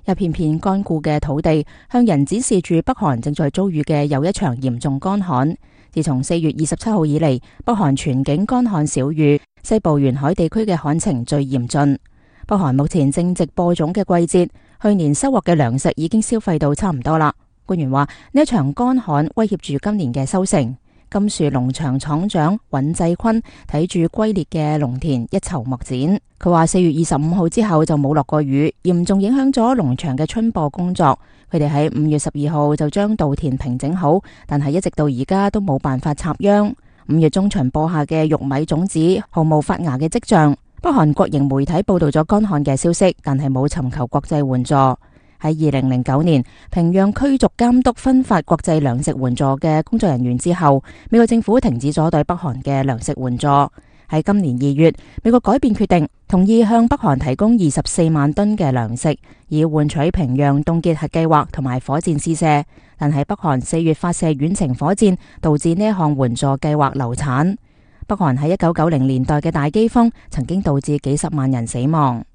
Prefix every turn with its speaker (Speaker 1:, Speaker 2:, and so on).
Speaker 1: 一片片乾枯嘅土地，向人展示住北韓正在遭遇嘅又一場嚴重乾旱。自從4月27號以嚟，北韓全境乾旱少雨，西部沿海地區嘅旱情最嚴峻。北韓目前正值播種嘅季節，去年收穫嘅糧食已經消費到差唔多啦。官員話呢一場乾旱威脅住今年嘅收成。金樹農場廠長尹濟坤睇住龜裂嘅農田一籌莫展。佢話4月25號之後就冇落過雨，嚴重影響咗農場嘅春播工作。佢哋喺5月12號就將稻田平整好，但係一直到而家都冇辦法插秧。5月中旬播下嘅玉米種子毫無發芽嘅跡象。北韓國營媒體報道咗乾旱嘅消息，但係冇尋求國際援助。喺2009年，平壤驅逐監督分發國際糧食援助嘅工作人員之後，美國政府停止咗對北韓嘅糧食援助。喺今年2月，美國改變決定，同意向北韓提供24萬噸嘅糧食，以換取平壤凍結核計劃同埋火箭試射。但係北韓4月發射遠程火箭，導致呢一項援助計劃流產。北韓喺1990年代嘅大饑荒，曾經導致幾十萬人死亡。